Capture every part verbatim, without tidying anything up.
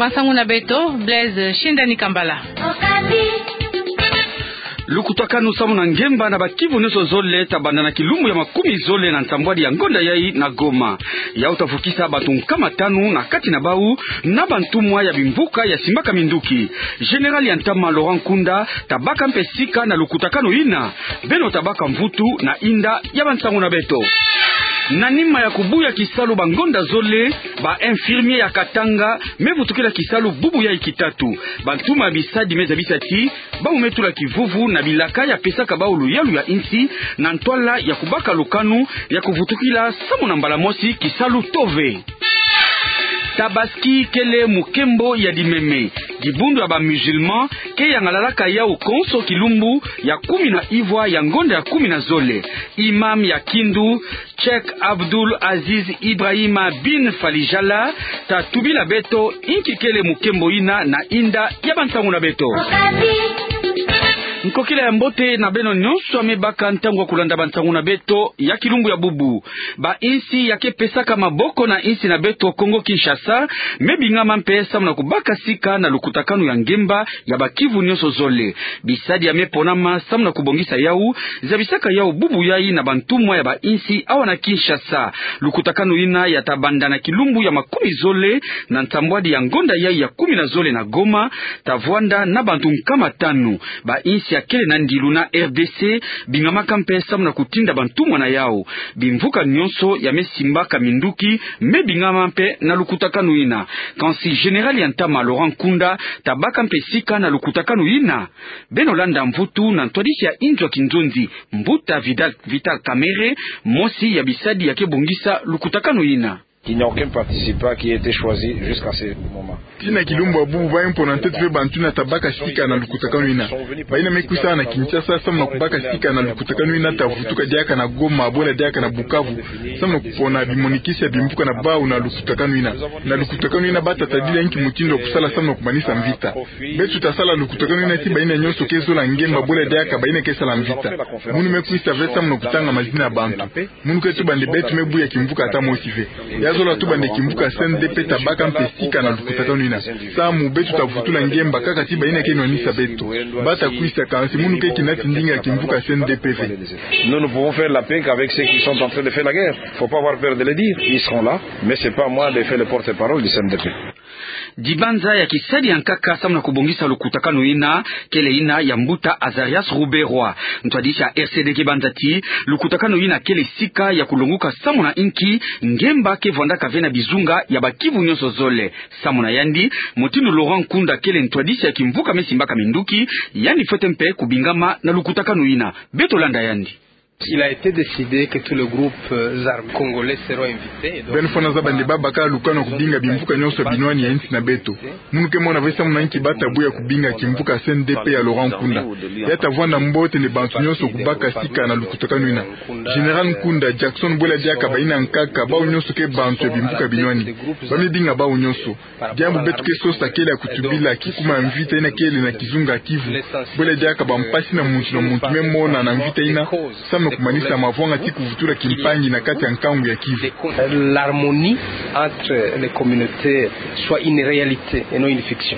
Bansangu na beto, Blaise Shindani Kambala. Lukutakanu samu na ngemba na bakivu nyonso zole tabanda na kilumbu ya makumi zole na nsambwadi ya ngonda yai na Goma. Yau tavukisa bantu nkama tanu na kati na bau na bantumwa ya bimvuka ya simbaka minduki. Général ya ntama Laurent Nkunda tabaka mpe sika na lukutakanu yina. Beno tabaka mvutu na inda ya bansangu na beto. Na nima ya kubuya kisalu bangonda zole, ba infirmier ya Katanga me vutukila kisalu bubu yai kitatu. Bantumwa ya bisadi me zabisa ti bau me tula kivuvu na bilaka ya pesaka bau luyalu ya insi na ntwala ya kubaka lukanu ya kuvutukila samu na mbala mosi kisalu tove. Tabaski kele mukembo ya dimeme. Dibundu ya ba musulman ke yangalalaka yau konso kilumbu ya kumi na ivwa ya ngonda ya kumi na zole. Imam ya Kindu, Cheikh Abdul Aziz Ibrahima bin Falijala, tatubila beto inki kele mukembo yina na inda ya bansangu na beto. Nkokila ya mbote na beno nyonso ya me baka ntangu ya kulanda bansangu na beto ya kilumbu ya bubu. Ba insi ya ke pesaka maboko na insi na beto Kongo Kinshasa me bingama mpe samu na kubaka sika na lukutakanu ya ngemba ya bakivu nyonso zole. Bisadi ya me ponama samu na kubongisa yau zabisaka yau bubu yai na bantumwa ya ba insi awa na Kinshasa. Lukutakanu yina ya tabanda na kilumbu ya makumi zole na nsambwadi ya ngonda yai ya kumi na zole na Goma, tavwanda na bantu nkama tanu. Ba insi ya kele na ndilu na R D C bingamaka mpe samu na kutinda bantumwa na yau. Bimvuka nyonso ya me simbaka minduki me bingama mpe na lukutakanu yina. Kansi général ya ntama Laurent Nkunda tabaka mpe sika na lukutakanu yina. Beno landa mvutu na ntwadisi ya inzo ya kinzonzi, mbuta Vital, Vital Kamerhe, mosi ya bisadi ya ke bongisa lukutakanu yina. Il n'y a aucun participant qui a été choisi jusqu'à ce moment. Tii na kilumbu ya bubu, bayi mpo na ntete mpe bantu yina tabaka sika na lukutakanu yina. Bayina me kwisa na Kinshasa samu na kubaka sika na lukutakanu yina tavutuka diaka na Goma, bwela diaka na Bukavu, samu na kupona bimonikisi ya bimvuka na bau na lukutakanu yina. Na lukutakanu yina bata tadila inki mutindu ya kusala samu na kumanisa mvita. Beto tasala lukutakanu yina tii bayina nyonso ke zola ngemba, bwela diaka bayina ke sala mvita. Munu me kwisa ve samu na kutanga mazina ya bantu. Munu ke tuba nde beto me buya kimvuka ata mosi ve. Ya zola tuba nde kimvuka C N D P tabaka mpe sika na lukutakanu yina. Samu beto tavutula ngemba kaka tii bayina ke nwanisa beto. Bata kwisa, kansi munu ke kinati ndinga ya kimvuka C N D P ve. Nous ne pouvons faire la paix qu'avec ceux qui sont en train de faire la guerre. Faut pas avoir peur de le dire. Ils seront là, mais c'est pas à moi de faire le porte-parole du C N D P. Dibanza ya kisadi ya nkaka samu na kubongisa lukutakanu yina kele yina ya mbuta Azarias Ruberwa. Ntwadisi ya R C D ke banza tii lukutakanu yina kele sika ya kulonguka samu na inki ngemba ke vwandaka ve na bizunga ya bakivu nyonso zole. Samu na yandi, mutindu Laurent Nkunda kele ntwadisi ya kimvuka me simbaka minduki, yandi fwete mpe kubingama na lukutakanu yina. Beto landa yandi. Il a été décidé que tous les groupes, euh, armés congolais seront invités, et donc... Beno fwana zaba nde babaka lukanu ya kubinga bimvuka nyonso ya binwani ya insi na beto. Munu ke mona ve samu na inki bata buya kubinga kimvuka C N D P ya Laurent Nkunda. Ya tavwanda mbote nde bantu nyonso kubaka sika na lukutakanu yina. Général Nkunda, Jackson, bwela diaka bayina nkaka, bau nyonso ke bantu ya bimvuka binwani. Ba me binga bau nyonso. Diambu beto ke sosa kele ya kutubila kikuma ya mvita yina kele na kizunga Kivu. Bwela diaka bampasi yina muntu na muntu me mona na mvita yina, samu na kumanisa mavwanga tii kuvutula kimpangi na kati ya nkangu ya Kivu. L'harmonie entre les communautés soit une réalité et non une fiction.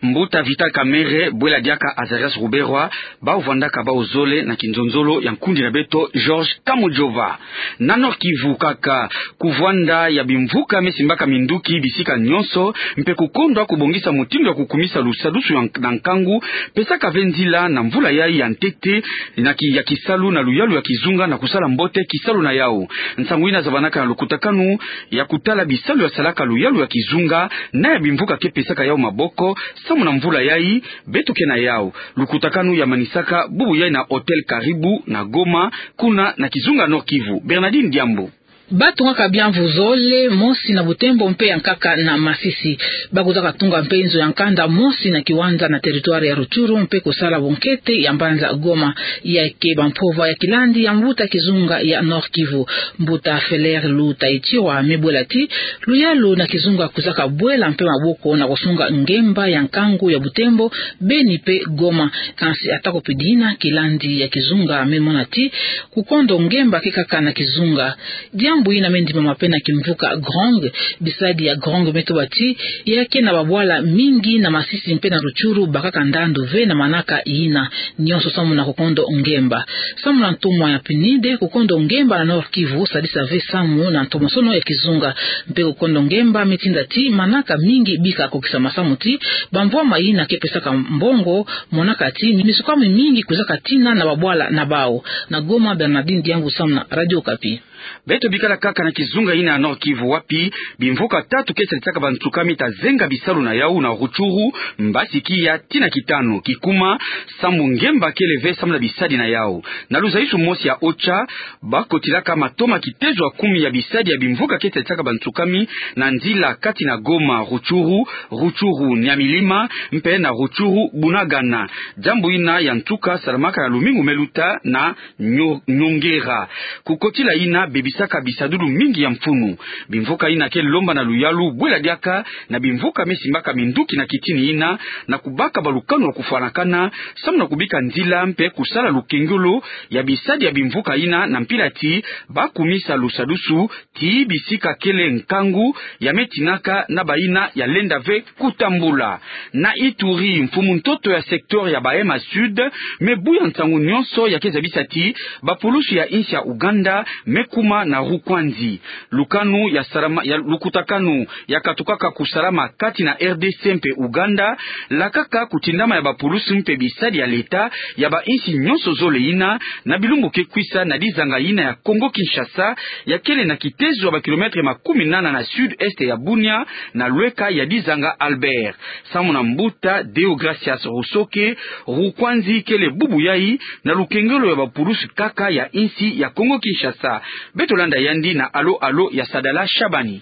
Mbuta Vital Kamerhe, bwela diaka Azarias Ruberwa, bau vwandaka bau zole na kinzonzolo ya nkundi na beto Georges Kamujova. Na Nord-Kivu kaka, kuvwanda ya bimvuka me simbaka minduki bisika nyonso, mpe kukondwa kubongisa mutindu ya kukumisa lusadusu ya nk-, na nkangu, pesaka ve nzila na mvula yai ya ntete, na ki-, ya kisalu na luyalu ya kizunga na kusala mbote kisalu na yau. Nsangu yina zabanaka na lukutakanu ya kutala bisalu ya salaka luyalu ya kizunga, na ya bimvuka ke pesaka yau maboko, samu na mvula yai, beto ke na yau. Lukutakanu ya manisaka bubu yai na Hôtel Karibu na Goma, kuna na kizunga Nord-Kivu. Bernardine Diambu. Ba tungaka biamvu zole, mosi na Butembo mpe ya nkaka na Masisi. Ba kuzaka tunga mpe nzo ya nkanda mosi na kiwanja na territoire ya Rutshuru mpe kusala bunkete ya mbanza Goma. Ya ke bampova ya kilandi ya mbuta kizunga ya Nord-Kivu. Mbuta Feller Lutaichirwa me bwela tii luyalu na kizunga kuzaka bwela mpe maboko na kusunga ngemba ya nkangu ya Butembo, Beni mpe Goma. Kansi ata ko mpe dina, kilandi ya kizunga me mona tii kukondo ngemba ke kaka na kizunga. Diambu Mbu yina me ndimama mpe na kimvuka Gronge. Bisadi ya Gronge me tuba ti ya ke na babwala mingi na Masisi mpe na Rutshuru, bakaka ndandu ve na manaka yina. Nionso samu na kukondo ngemba. Samu na ntumwa ya PNUD, kukondo ngemba na Nord-Kivu sadisa ve samu na ntomosono ya kizunga. Mpe kukondo ngemba me tinda ti manaka mingi bika kokisa masamu ti bamvwama yina ke pesaka mbongo, monaka ti misukami mingi kwizaka tina na babwala na bau. Na Goma, Bernardine Diangu samu na Radio Okapi. Beto bikala kaka na kizunga yina ya Nord-Kivu, wapi bimvuka tatu ke sadisaka bansukami ta zenga bisalu na yau, na Rutshuru, Mbasi-Kiya tii na Kitano. Kikuma, sambu ngemba kele ve samu na bisadi na yau. Na luzaisu mosi ya OCHA, bakotilaka matoma kitezo ya kumi ya bisadi ya bimvuka ke sadisaka bansukami na nzila kati na Goma, Rutshuru, Rutshuru-Nyamilima, mpe na Rutshuru-Bunagana. Diambu yina ya nsuka salamaka na lumingu me luta na Nyo-, Nyongera. Kukotila yina bebisaka bisadulu mingi ya mfunu. Bimvuka yina ke lomba na luyalu bwela diaka na bimvuka me simbaka minduki na kitini yina, na kubaka balukanu ya kufwanakana, samu na kubika nzila mpe kusala lukengolo ya bisadi ya bimvuka yina, na mpila ti bakumisa lusadusu ti bisika kele nkangu ya me tinaka na bayina ya lenda ve kutambula. Na Ituri, mfumu ntoto ya secteur ya Bahema Sud me buya nsangu nionso ya ke zabisa ti bapulusu ya insi ya Ouganda me kuma na Rukwanzi. Lukanu ya salama, ya lukutakanu ya katukaka kusalama kati na R D C mpe Ouganda, lakaka kutindama ya bapulusu mpe bisadi ya leta ya bainsi nionso zole yina, na bilumbu ke kwisa, na dizanga yina ya Congo-Kinshasa, ya kele na kitezo ya bakilometre makumi nana na sud-est ya Bunia, na lweka ya dizanga Albert. Samu na mbuta Deogracias Rusoke, Rukwanzi kele bubu yai na lukengelo ya bapulusu kaka ya insi ya Congo-Kinshasa. Beto landa yandi na Alo Alo ya Sadala Shabani.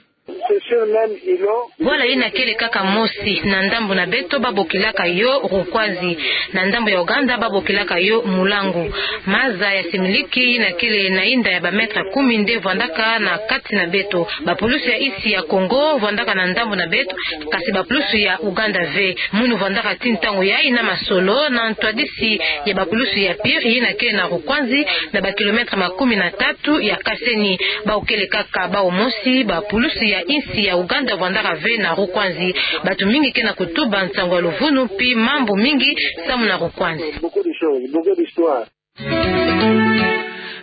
Bwala yina kele kaka mosi. Na ndambu na beto babokilaka yo Rukwanzi. Na ndambu ya Ouganda babokilaka yo Mulangu. Maza ya similiki yina kele na inda ya bametre kumi nde vwandaka na kati na beto. Bapulusu ya insi ya Congo vwandaka na ndambu na beto, kasi bapulusu ya Ouganda ve. Munu vwandaka ti ntangu yai na masolo na ntwadisi ya bapulusu ya Pire yina kele na Rukwanzi, na bakilometre makumi na tatu ya Kaseni. Bau kele kaka bau mosi, bapulusu ya insi ya Ouganda vwandaka ve na Rukwanzi. Batu mingi ke na kutuba nsangu ya luvunu mpi mambu mingi samu na Rukwanzi.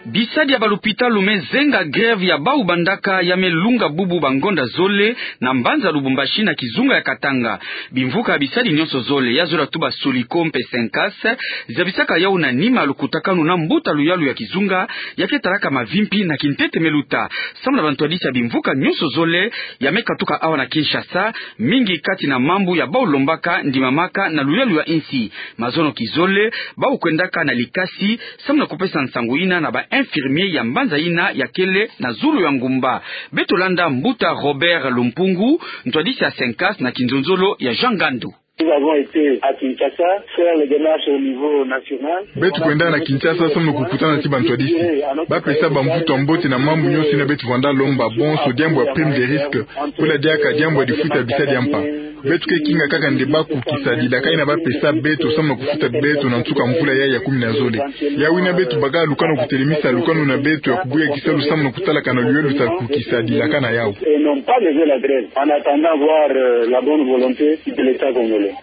Bisadi ya balupitalu me zenga grève ya bau bandaka ya me lunga bubu bangonda zole na mbanza Lubumbashi na kizunga ya Katanga. Bimvuka ya bisadi nionso zole, ya zola tuba Soliko mpe Sencas, zabisaka yau na nima ya lukutakanu na mbuta luyalu ya kizunga ya ke talaka mavimpi na kintete me luta. Samu na bantwadisi ya bimvuka nionso zole ya me katuka awa na Kinshasa, mingi kati na mambu ya bau lombaka ndimamaka na luyalu ya insi. Mazono kizole, bau kwendaka na likasi samu na kupesa nsangu yina na ba infirmier ya mbanza yina ya kele na zulu ya ngumba. Beto landa mbuta Robert Lumpungu, ntwadisi ya Sencas, na kinzonzolo ya Jean Ngandu. Nous avons été à Kinshasa faire les démarches au niveau national. Beto kwenda na Kinshasa samu na kukutana ti bantwadisi. Ba pesa bamvutu ya mbote na mambu nionso yina beto vwanda lomba, bonso diambu ya prime de risque, pula diaka diambu ya difuta bisadi ya mpa. Beto ke kinga kaka nde ba kukisa dilaka yina ba pesa beto samu na kufuta beto na nsuka mvula yai ya kumi na zole. Yau yina beto baka lukanu kutelemisa lukanu na beto ya kubuya kisalu samu na kutalakana luyalu ta kukisa dilaka na yau. Et n'ont pas levé la grève, en attendant voir, euh, la bonne volonté de l'État congolais.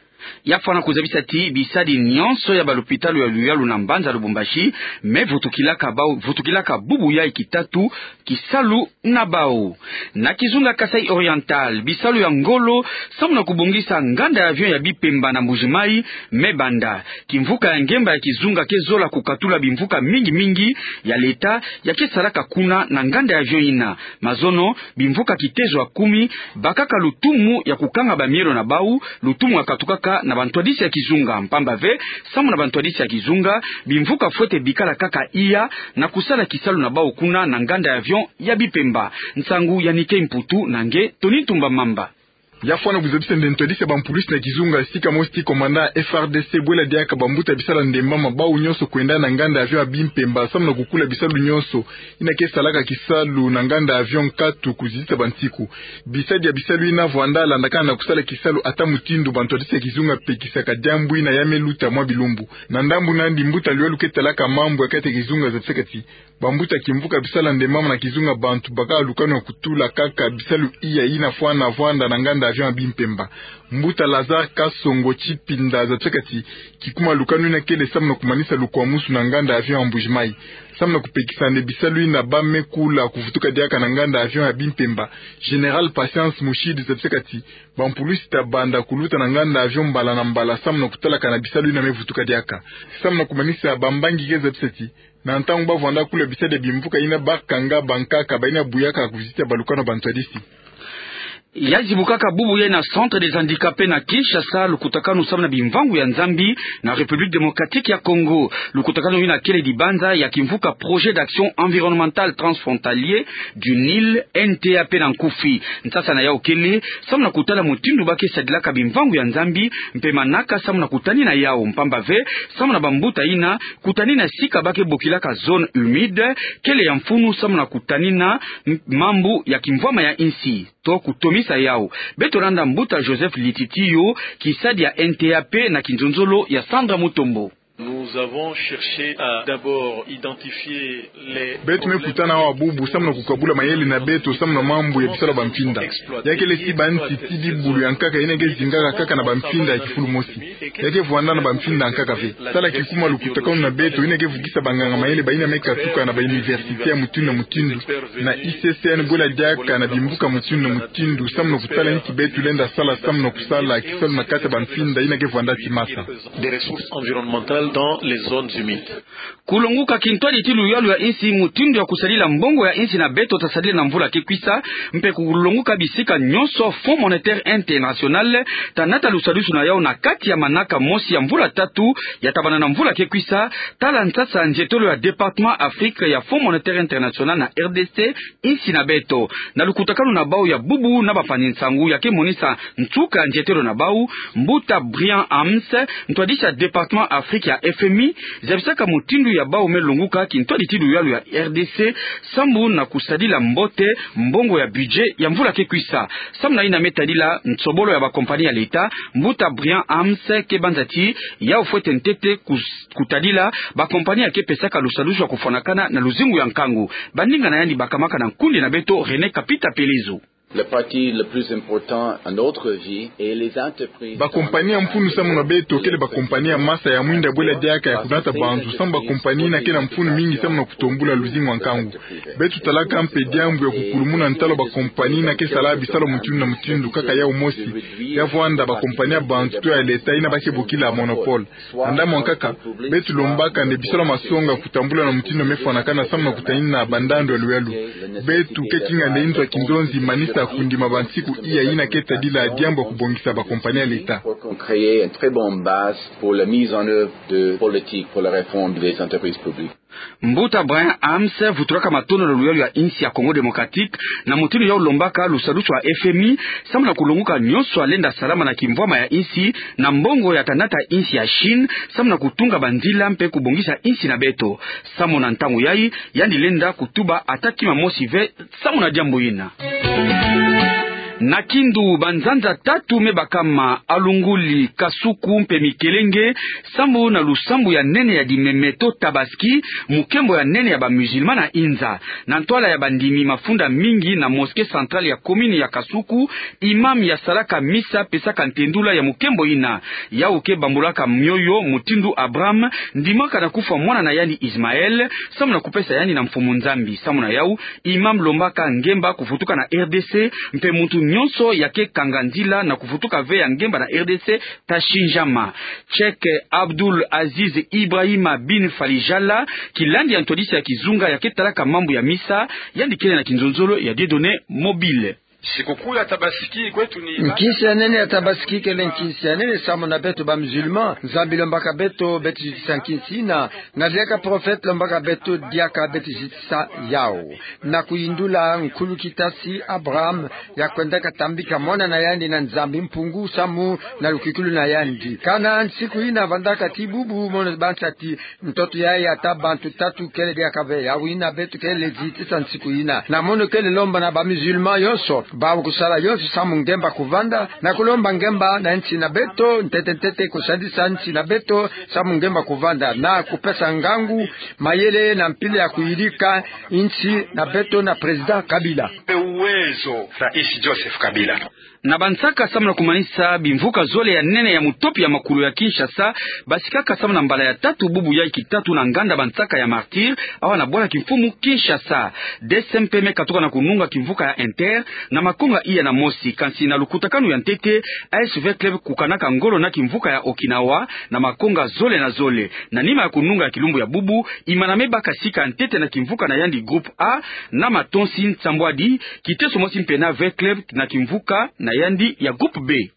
Ya fwana kuzabisa ti bisadi nionso ya balupitalu ya luyalu na mbanza Lubumbashi me vutukilaka bau, vutukilaka bubu yai kitatu kisalu na bau. Na kizunga Kasaï Oriental, bisalu ya ngolo samu na kubongisa nganda ya avion ya Bipemba na Mbuji-Mayi me banda. Kimvuka ya ngemba ya kizunga ke zola kukatula bimvuka mingi mingi ya leta ya ke salaka kuna na nganda ya avion yina. Mazono, bimvuka kitezo ya kumi bakaka lutumu ya kukanga bamielo na bau, lutumu ya katukaka na bantwadisi ya kizunga. Mpamba ve, samu na bantwadisi ya kizunga, bimvuka fwete bikala kaka iya na kusala kisalu na bau kuna na nganda ya avion ya Bipemba. Nsangu ya Nikei Mputu na nge Tony Ntumba Mamba. Ya fwana kuzabisa nde ntwadisi ya bampulusi na kizunga, sika mosi ti commandant ya F R D C, bwela diaka bambuta ya bisalu ya ndembama bawu nyonso kwenda na nganda avion ya Bimpemba samu na kukula bisalu nyonso ina ke salaka kisalu na nganda avion nkatu kuzitisa bansiku. Bisadi ya bisalu ina vwanda landakana na kusala kisalu ata mutindu bantwadisi ya kizunga pekisaka diambu ina ya me luta mwa bilumbu. Na ndambu nandi, mbuta Luyalu ke talaka mambu ya kati ya kizunga zabisaka ti bambuta kimvuka bisalu ya ndembama na kizunga, bantu bakaka lukanu ya kutula kaka bisalu iya ina fwana vwanda na nganda avion ya Bimpemba. Mbuta Lazare Kasongo Tshipinda zabisaka ti kikuma lukanu ina kele samu na kumanisa lukwamusu na nganda avion ya Mbuji-Mayi samu na kupekisa nde bisalu ina ba me kula kuvutuka diaka na nganda avion ya Bimpemba. Général Patience Mushidi zabisaka ti bampulusi ta banda kuluta na nganda avion mbala na mbala samu na kutalakana bisalu ina me vutuka diaka. Samu na kumanisa, bambangi ke zabisa ti na ntangu ba vwanda kula bisadi ya bimvuka ina ba kanga bankaka ba ina buyaka kuzitisa balukanu ya bantwadisi. Ya zibukaka bubu yayi na Centre des Handicapés na Kinshasa lukutakanu samu na bimvangu ya Nzambi na République Démocratique ya Congo. Lukutakanu ina kele dibanza ya kimvuka Projet d'Action Environnementale Transfrontalier du Nil, N T A P na nkufi. Nsasa na yawu kele samu na kutala mutindu ba ke sadilaka bimvangu ya Nzambi mpe manaka samu na kutanina yawu, mpamba ve samu na bambuta ina kutanina sika ba ke bokilaka zone humide kele ya mfunu samu na kutanina m-, mambu ya kimvwama ya insi to kutomisa yawu. Beto landa mbuta Joseph Lititiyo, kisadi ya N T A P na kinzonzolo ya Sandra Mutombo. Nous avons cherché à d'abord identifier les... Beto me kutana awa bubu samu na kukabula mayele na beto samu na mambu ya bisalu ya bampinda. Ya kele ti bansi ti bibulu ya nkaka ina ke zingaka kaka na bampinda ya kifulu mosi. Ya ke vwanda na bampinda ya nkaka ve. Tala kikuma lukutakanu na beto ina ke vukisa banganga mayele ba ina me katuka na ba université ya mutindu na mutindu, na I C C N, bwela diaka na bimvuka mutindu na mutindu samu na kutala nki beto lenda sala samu na kusala kisalu na kati ya bampinda ina ke vwanda ti masa. Des ressources environnementales dans les zones humides. Kulonguka kintwadi ti luyalu ya insi, mutindu ya kusadila mbongo ya insi na beto ta sadila na mvula ke kwisa, mpe kulonguka bisika nyonso Fonds Monétaire International ta nata lusadusu na yawu na kati ya manaka mosi ya mvula tatu ya tabana na mvula ke kwisa. Tala nsasa nzietolo ya Département Afrique ya Fonds Monétaire International na R D C, insi na beto. Na lukutakanu na bawu ya bubu na bampangi-nsangu ya ke monisa nsuka ya nzietolo na bawu, mbuta Brian Hamms, ntwadisi ya Département Afrique ya F M I, zabisaka mutindu ya bawu me longuka kintwadi ti luyalu ya R D C sambu na kusadila mbote mbongo ya budget ya mvula ke kwisa. Samu na ina me tadila nsobolo ya bakompani ya leta, mbuta Brian Hamms ke banza ti yawu fwete ntete kus-, kutadila bakompani ya ke pesaka lusadusu ya kufwanakana na luzingu ya nkangu. Baninga na yandi bakamaka na nkundi na beto René Kapita Pelezo. Le parti le plus important à notre vie est les entreprises. Bakompani ya mfunu samu na beto kele bakompani ya masa ya mwinda bwela diaka ya kunata banzu, samu bakompani ina ke na mfunu mingi samu na kutombula luzingu ya nkangu. Beto talaka mpe diambu ya kukulumuna ntalu bakompani ina ke sala bisalu mutindu na mutindu kaka yawu mosi, ya vwanda bakompani ya bantu to ya leta ina ba ke bokila monopole. Na ndambu ya nkaka, beto lombaka nde bisalu masonga kutambula na mutindu me fwanakana samu na kutanina bandandu ya luyalu. Beto ke kinga nde inzo ya kinzonzi manisa kundima bansiku iya ina ke tadila diambu ya kubongisa bakompani ya leta. Pour créer une très bonne base pour la mise en œuvre de politiques pour la réforme des entreprises publiques. Mbuta Brian Hamms vutulaka matondo na luyalu ya insi ya Congo Démocratique, na mutindu yawu lombaka lusadusu ya F M I samu na kulonguka nyonso ya lenda salama na kimvwama ya insi na mbongo ya ta nata insi ya Chine samu na kutunga banzila mpe kubongisa insi na beto. Samu na ntangu yayi, yandi lenda kutuba ata kima mosi ve samu na diambu ina. Na Kindu, banzanza tatu me bakama: Alunguli, Kasuku mpe Mikelenge, sambu na lusambu ya nene ya dimeme to Tabaski, mukembo ya nene ya ba musulmans na inza. Na ntwala ya bandimi mafunda mingi na mosquée centrale ya commune ya Kasuku, imam yasalaka misa pesaka ntendula ya mukembo ina. Yawu ke bambulaka mioyo mutindu Abraham ndimaka na kufwa mwana na yandi Ismaël, samu na kupesa yandi na Mfumu Nzambi. Samu na yawu, imam lombaka ngemba kuvutuka na R D C, mpe muntu nyonso ya ke kanga nzila na kuvutuka ve ya ngemba na R D C ta sinzama. Cheikh Abdul Aziz Ibrahima bin Falijala, kilandi ya ntwadisi ya kizunga ya ke talaka mambu ya misa, yandi kele na kinzonzolo ya Dieudonné Mobile. Sikukuu ya Tabaski kwetu ni nkinsi ya nene ya Tabaski kele nkinsi ya nene samu na beto ba musulman. Nzambi lombaka beto, beto zitisa nkinsi ina. Na diaka prophète lombaka beto diaka beto zitisa yau. Na kuyindula nkulu kitasi Abraham ya kwendaka tambika mwana na yandi na Nzambi Mpungu samu na lukikulu na yandi. Kana nsiku ina vandaka ti bubu mono bansa ti ntoto yayi ya ta bantu tatu kele diaka ve, ya wina beto kele zitisa nsiku ina. Na mono kele lomba na ba musulman yonso, bawu kusala yonso samu ngemba kuvanda, na kulomba ngemba na nsi na beto, ntete ntete kusadisa nsi na beto samu ngemba kuvanda, na kupesa ngangu, mayele na mpila ya kuyidika nsi na beto na président Kabila. Pe uwezo, Rais Joseph Kabila. Na bansaka samu na kumanisa bimvuka zole ya nene ya mutopi ya makulu ya Kinshasa, basikaka samu na mbala ya tatu bubu yayi kitatu na nganda bansaka ya Martyrs, awa na bwala kimfumu Kinshasa. D C M P me katuka na kununga kimvuka ya Inter, na makonga iya na mosi, kansi na lukutakanu ya ntete, A S V Club kukanaka ngolo na kimvuka ya Okinawa, na makonga zole na zole. Na nima ya kununga ya kilumbu ya bubu, Imana me baka sika ntete na kimvuka na yandi groupe A, na matonsi nsambwadi, kiteso mosi mpe na V Club na kimvuka na yandi ya groupe B.